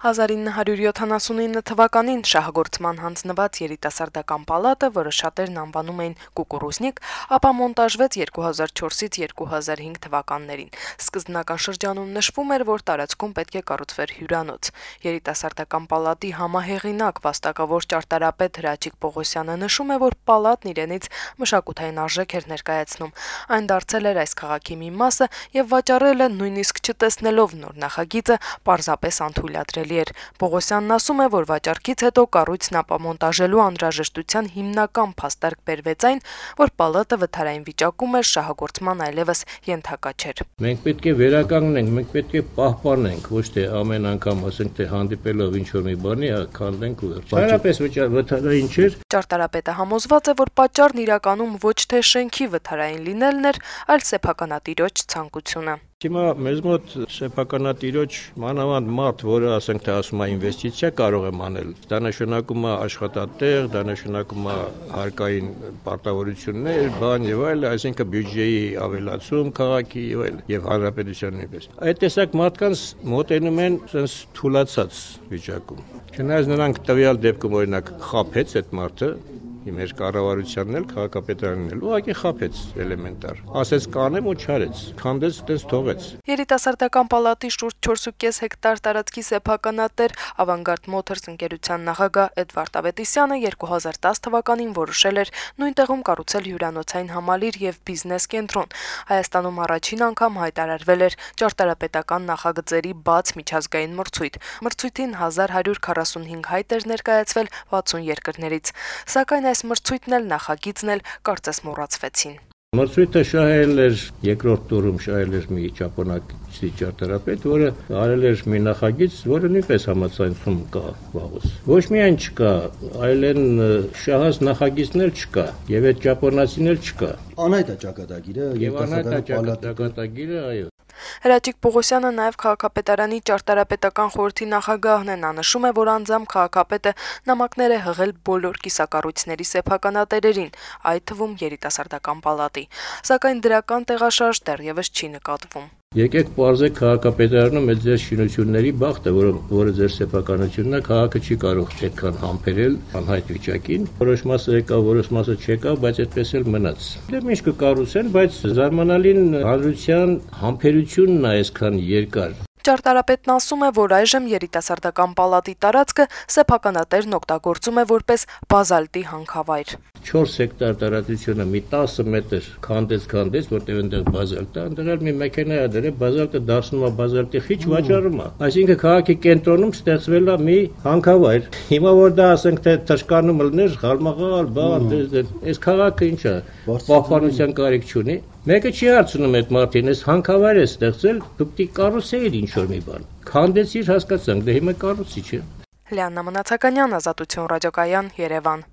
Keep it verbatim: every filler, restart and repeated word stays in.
հազար ինը հարյուր յոթանասունինը թվականին շահագործման հանձնված երիտասարդական պալատը, որը շատերն անվանում էին «կուկուռուզնիկ», ապա մոնտաժվեց երկու հազար չորսից երկու հազար հինգ թվականներին։ Սկզբնական շրջանում նշվում էր, որ տարածքում պետք է կառուցվեր հյուրանոց։ Երիտասարդական պալատի համահեղինակ վաստակավոր ճարտարապետ Հրաչիկ Պողոսյանը նշում է, որ պալատն իրենից մշակութային արժեք էր ներկայացնում։ Այն դարձել էր այս քաղաքի մի մասը եւ վաճառելը նույնիսկ չտեսնելով նոր նախագիծը պարզապես անթույլատրելի էր։ Պողոսյանն ասում է, որ վաճառքից հետո կառույցն ապամոնտաժելու անհրաժեշտության հիմնական փաստարկ բերվեց այն, որ պալատը վթարային վիճակում էր, շահագործման այլևս ենթակա չէր։ Մենք պետք է վերականգնենք, մենք պետք է պահպանենք, ոչ թե ամեն անգամ ասենք թե հանդիպելով ինչ-որ մի բանի քանդենք ու վերջ։ Վթարային չէր։ Ճարտարապետը համոզված է, որ պատճառն իրականում ոչ թե շենքի վթարային լինելն էր, այլ սեփականատիրոջ ցանկությունը։ Հիմա մեզ մոտ սեփականատիրոջ մանավանդ մարդ, որը ասենք թե ասում է ինվեստիցիա կարող եմ անել, դա նշանակում է աշխատատեղ, դա նշանակում է հարկային պարտավորություններ, բան եւ այլ, այսինքն բյուջեի ավելացում քաղաքի եւ այլ եւ հանրապետության նույնպես։ Այդ տեսակ մարդկանց մոտենում են sense թուլացած վիճակում։ Չնայած նրանք տվյալ դեպքում օրինակ խափեց այդ մարդը, մեր կառավարությանն էլ, քաղաքապետարանն էլ, ուղղակի խափեց էլեմենտար։ Ասեց կանեմ ու չարեց, քանդեց, տես թողեց։ Երիտասարդական պալատի շուրջ չորս ու կես հեկտար տարածքի սեփականատեր Avangard Motors ընկերության նախագահ Էդվարդ Ավետիսյանը երկու հազար տաս թվականին որոշել էր նույն տեղում կառուցել հյուրանոցային համալիր եւ բիզնես կենտրոն։ Հայաստանում առաջին անգամ հայտարարվել էր ճարտարապետական նախագծերի բաց միջազգային մրցույթ։ Մրցույթին հազար հարյուր քառասունհինգ հայտ էր ներկայացվել վաթսուն երկրներից, սակայն այս մրցույթն էլ նախագիծն էլ կարծես մոռացվեցին։ Մրցույթը շահել էր երկրորդ տուրում շահել էր մի ճապոնացի ճարտարապետ, որը արել էր մի նախագիծ, որը նույնպես համացանցում կա վաղուց։ Ոչ միայն չկա, այլ են շահած նախագիծն էլ չկա, եւ այդ ճապոնացին էլ չկա։ Անհայտ է ճակատագիրը, եւ անհայտ է ճակատագիրը, այո։ Հրաչիկ Պողոսյանը նաև քաղաքապետարանի ճարտարապետական խորհրդի նախագահն է, նա նշում է, որ անձամբ քաղաքապետը նամակներ է հղել բոլոր կիսակառույցների սեփականատերերին, այդ թվում երիտասարդական պալատի, սակայն դրական տեղաշարժ դեռևս չի նկատվում։ Եկեք պարզեք քաղաքապետարանում այդ ձեր շինությունների բախտը, որը, որը ձեր սեփականությունն է, քաղաքը չի կարող այդքան համբերել անհայտ վիճակին։ Որոշ մասը եկավ, որոշ մասը չեկավ, բայց այդպես էլ մնաց։ Դե ինչ կկառուցեն, բայց զարմանալին հանրության համբերությունն է այսքան երկար։ Ճարտարապետն ասում է, որ այժմ երիտասարդական պալատի տարածքը սեփականատերն օգտագործում է որպես բազալտի հանքավայր։ չորս հեկտար տարածությունը մի տասը մետր քանդեց-քանդեց, որտեղ այնտեղ բազալտ է, այնտեղ էլ մի մեքենա է դրել, բազալտը դարձնում է բազալտի խիչ, վաճառում է։ Այսինքն քաղաքի կենտրոնում ստեղծվել է մի հանքավայր։ Հիմա որ դա ասենք թե թշկանում լներ, խալմաղալ, բան, այս քաղաքը ինչ է, պահպանության կարիք չունի։ Մեկը չի հարցնում այդ մարդին, այս հանքավայր է ստեղծել, դուք դի կառուցեիր ինչ-որ մի բան։ Քանդեցիր, հասկացանք, դե հիմա կառուցի, չէ։ Լիաննա Մնացականյան, Ազատություն ռադիոկայան, Երևան։